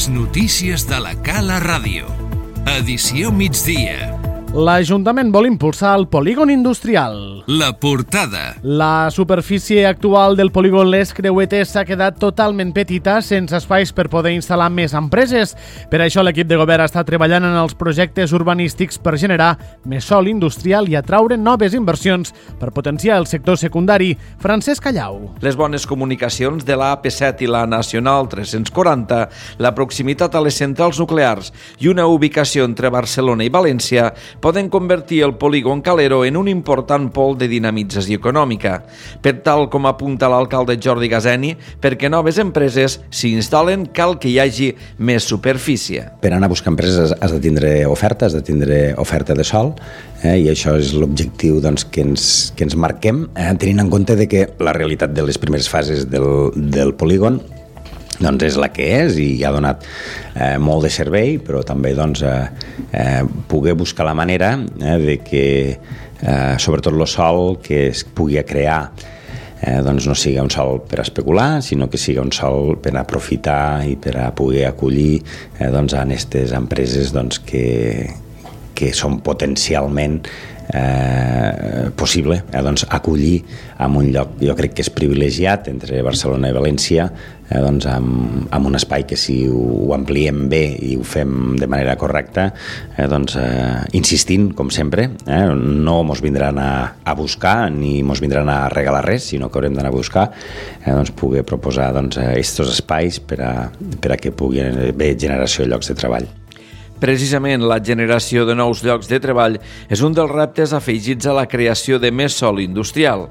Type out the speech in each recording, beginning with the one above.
Les notícies de la Cala Ràdio. Edició migdia. L'Ajuntament vol impulsar el polígon industrial. La portada. La superfície actual del polígon Les Creuetes s'ha quedat totalment petita, sense espais per poder instal·lar més empreses. Per això l'equip de govern està treballant en els projectes urbanístics per generar més sòl industrial i atraure noves inversions per potenciar el sector secundari. Francesc Callau. Les bones comunicacions de la AP7 i la Nacional 340, la proximitat a les centrals nuclears i una ubicació entre Barcelona i València poden convertir el polígon Calero en un important pol de dinamització econòmica. Per tal com apunta l'alcalde Jordi Gazeni, perquè noves empreses s'instal·len cal que hi hagi més superfície. Per anar a buscar empreses has de tindre oferta, has de tindre oferta de sòl, i això és l'objectiu que ens marquem, tenint en compte que la realitat de les primeres fases del polígon és la que és i ha donat molt de servei, però també poder buscar la manera de que sobretot el sòl que es pugui crear no sigui un sòl per especular, sinó que sigui un sòl per aprofitar i per a poder acollir a aquestes empreses que són potencialment possible acollir en un lloc, jo crec que és privilegiat entre Barcelona i València, amb un espai que si ho ampliem bé i ho fem de manera correcta, insistint, com sempre, no ens vindran a buscar ni ens vindran a regalar res, sinó que haurem d'anar a buscar poder proposar aquests espais per a que pugui haver generació de llocs de treball. Precisament la generació de nous llocs de treball és un dels reptes afegits a la creació de més sòl industrial.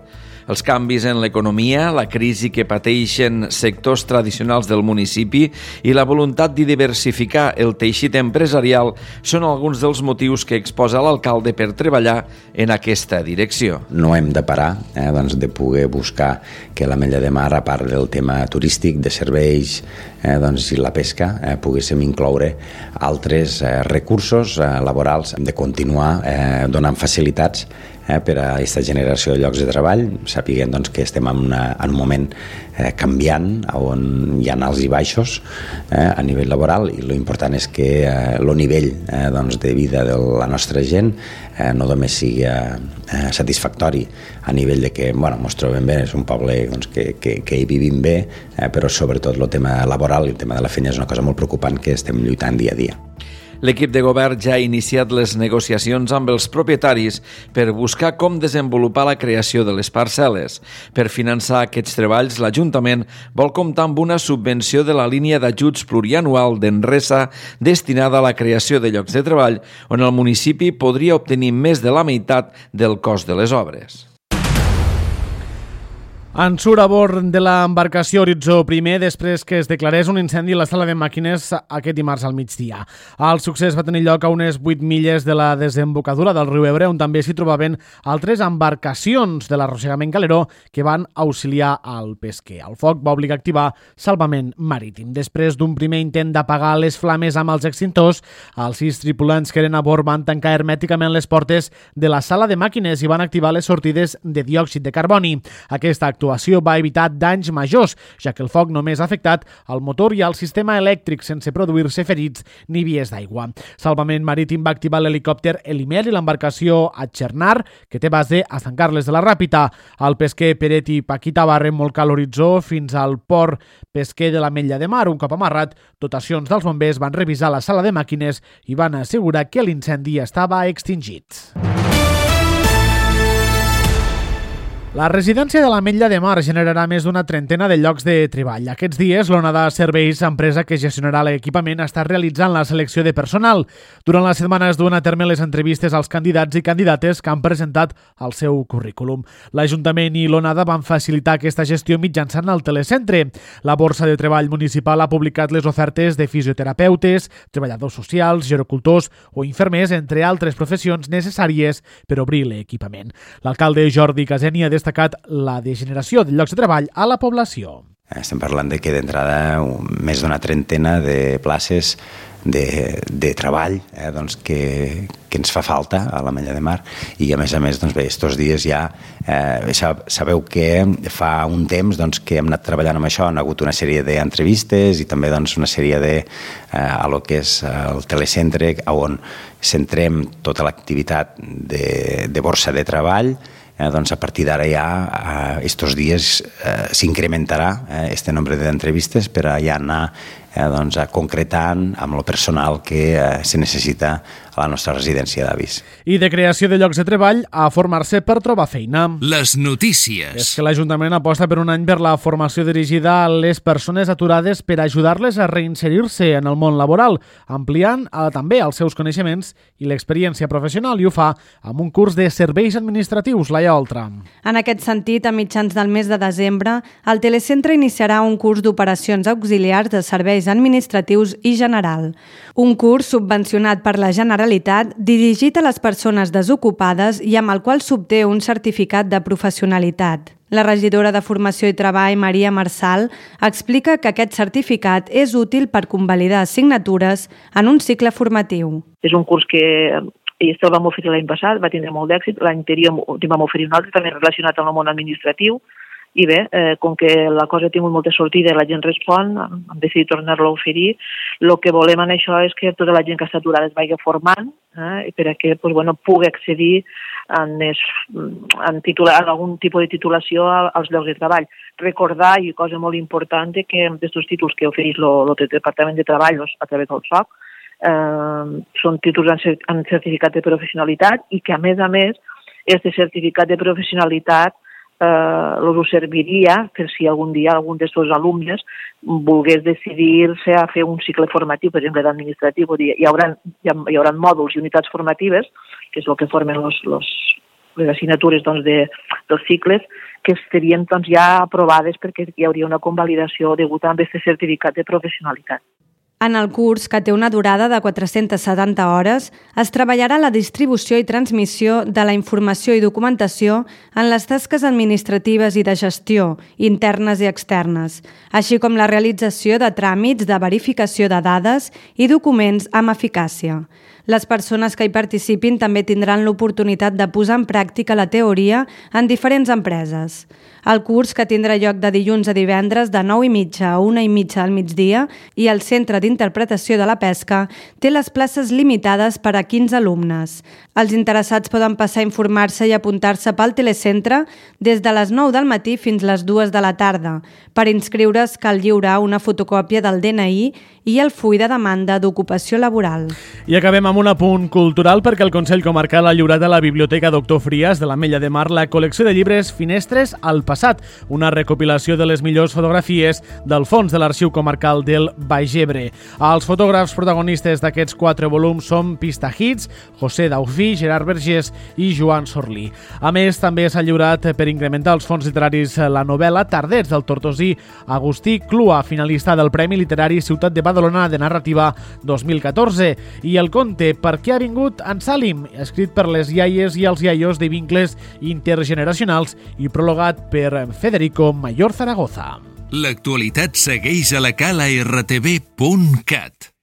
Els canvis en l'economia, la crisi que pateixen sectors tradicionals del municipi i la voluntat de diversificar el teixit empresarial són alguns dels motius que exposa l'alcalde per treballar en aquesta direcció. No hem de parar de poder buscar que l'Ametlla de Mar, a part del tema turístic, de serveis i la pesca, poguéssim incloure altres recursos laborals, de continuar donant facilitats per a aquesta generació de llocs de treball, sapiguem que estem en un moment canviant, on hi ha alts i baixos a nivell laboral, i l'important és que el nivell de vida de la nostra gent no només sigui satisfactori a nivell de que ens trobem bé, és un poble que hi vivim bé, però sobretot el tema laboral i el tema de la feina és una cosa molt preocupant que estem lluitant dia a dia. L'equip de govern ja ha iniciat les negociacions amb els propietaris per buscar com desenvolupar la creació de les parcel·les. Per finançar aquests treballs, l'Ajuntament vol comptar amb una subvenció de la línia d'ajuts plurianual d'Enresa destinada a la creació de llocs de treball, on el municipi podria obtenir més de la meitat del cost de les obres. En surt a bord de l'embarcació Horitzó I després que es declarés un incendi a la sala de màquines aquest dimarts al migdia. El succés va tenir lloc a unes 8 milles de la desembocadura del riu Ebre, on també s'hi trobaven altres embarcacions de l'arrossegament galeró que van auxiliar al pesquer. El foc va obligar a activar salvament marítim. Després d'un primer intent d'apagar les flames amb els extintors, els 6 tripulants que eren a bord van tancar hermèticament les portes de la sala de màquines i van activar les sortides de diòxid de carboni. Aquesta actuació va evitar danys majors, ja que el foc només ha afectat el motor i el sistema elèctric sense produir-se ferits ni vies d'aigua. Salvament Marítim va activar l'helicòpter Elimer i l'embarcació Atxernar, que té base a Sant Carles de la Ràpita. El pesquer Peret i Paquita va remolcar l'Horitzó fins al port pesquer de l'Ametlla de Mar. Un cop amarrat, dotacions dels bombers van revisar la sala de màquines i van assegurar que l'incendi estava extingit. La residència de l'Ametlla de Mar generarà més d'una trentena de llocs de treball. Aquests dies, l'Onada Serveis, empresa que gestionarà l'equipament, està realitzant la selecció de personal. Durant la setmana es duen a terme les entrevistes als candidats i candidates que han presentat el seu currículum. L'Ajuntament i l'Onada van facilitar aquesta gestió mitjançant el telecentre. La Borsa de Treball Municipal ha publicat les ofertes de fisioterapeutes, treballadors socials, gerocultors o infermers, entre altres professions necessàries per obrir l'equipament. L'alcalde Jordi Gazeni ha destacat la degeneració de llocs de treball a la població. Estem parlant de que d'entrada més d'una trentena de places de treball doncs que ens fa falta a l'Ametlla de Mar, i a més doncs bé, estos dies ja sabeu que fa un temps doncs, que hem anat treballant amb això, han hagut una sèrie d'entrevistes i també doncs, una sèrie a lo que és el telecentre on centrem tota l'activitat de borsa de treball. Doncs a partir d'ara ja estos dies s'incrementarà este nombre d'entrevistes per a ja anar doncs, concretant amb el personal que se necessita a la nostra residència d'avis. I de creació de llocs de treball a formar-se per trobar feina. Les notícies. És que l'Ajuntament aposta per un any per la formació dirigida a les persones aturades per ajudar-les a reinserir-se en el món laboral, ampliant també els seus coneixements i l'experiència professional, i ho fa amb un curs de serveis administratius, Laia Oltra. En aquest sentit, a mitjans del mes de desembre, el Telecentre iniciarà un curs d'operacions auxiliars de serveis administratius i general. Un curs subvencionat per la Generalitat, dirigit a les persones desocupades i amb el qual s'obté un certificat de professionalitat. La regidora de Formació i Treball, Maria Marçal, explica que aquest certificat és útil per convalidar assignatures en un cicle formatiu. És un curs que el vam oferir l'any passat, va tindre molt d'èxit, l'any anterior vam oferir un altre, també relacionat amb el món administratiu, i bé, com que la cosa ha tingut molta sortida i la gent respon, hem decidit tornar-lo a oferir. El que volem en això és que tota la gent que està aturada es vagi formant perquè pugui accedir en algun tipus de titulació als llocs de treball. Recordar, i cosa molt important, que aquests títols que ofereix el Departament de Treball a través del SOC són títols en certificat de professionalitat i que, a més, aquest certificat de professionalitat us serviria per si algun dia algun dels seus alumnes volgués decidir-se a fer un cicle formatiu, per exemple, d'administratiu. Hi haurà mòduls i unitats formatives, que és el que formen les assignatures dels cicles, que estarien ja aprovades perquè hi hauria una convalidació degut a aquest certificat de professionalitat. En el curs, que té una durada de 470 hores, es treballarà la distribució i transmissió de la informació i documentació en les tasques administratives i de gestió, internes i externes, així com la realització de tràmits de verificació de dades i documents amb eficàcia. Les persones que hi participin també tindran l'oportunitat de posar en pràctica la teoria en diferents empreses. El curs, que tindrà lloc de dilluns a divendres de 9:30 a 1:30 al migdia i el Centre d'Interpretació de la Pesca, té les places limitades per a 15 alumnes. Els interessats poden passar a informar-se i apuntar-se pel telecentre des de les 9 del matí fins les 2 de la tarda. Per inscriure's cal lliurar una fotocòpia del DNI i el full de demanda d'ocupació laboral. I acabem amb un apunt cultural perquè el Consell Comarcal ha lliurat a la Biblioteca Doctor Frias de l'Ametlla de Mar la col·lecció de llibres Finestres al passat, una recopilació de les millors fotografies del fons de l'Arxiu Comarcal del Baix Ebre. Els fotògrafs protagonistes d'aquests 4 volums són Pista Hits, José Daufí, Gerard Vergés i Joan Sorlí. A més, també s'ha lliurat per incrementar els fons literaris la novel·la Tardets del tortosí Agustí Clua, finalista del Premi Literari Ciutat de Badalona de Narrativa 2014, i el conte Per què ha vingut en Salim, escrit per les iaies i els iaios de vincles intergeneracionals i prologat per Federico Mayor Zaragoza. L'actualitat segueix a la cala rtv.cat.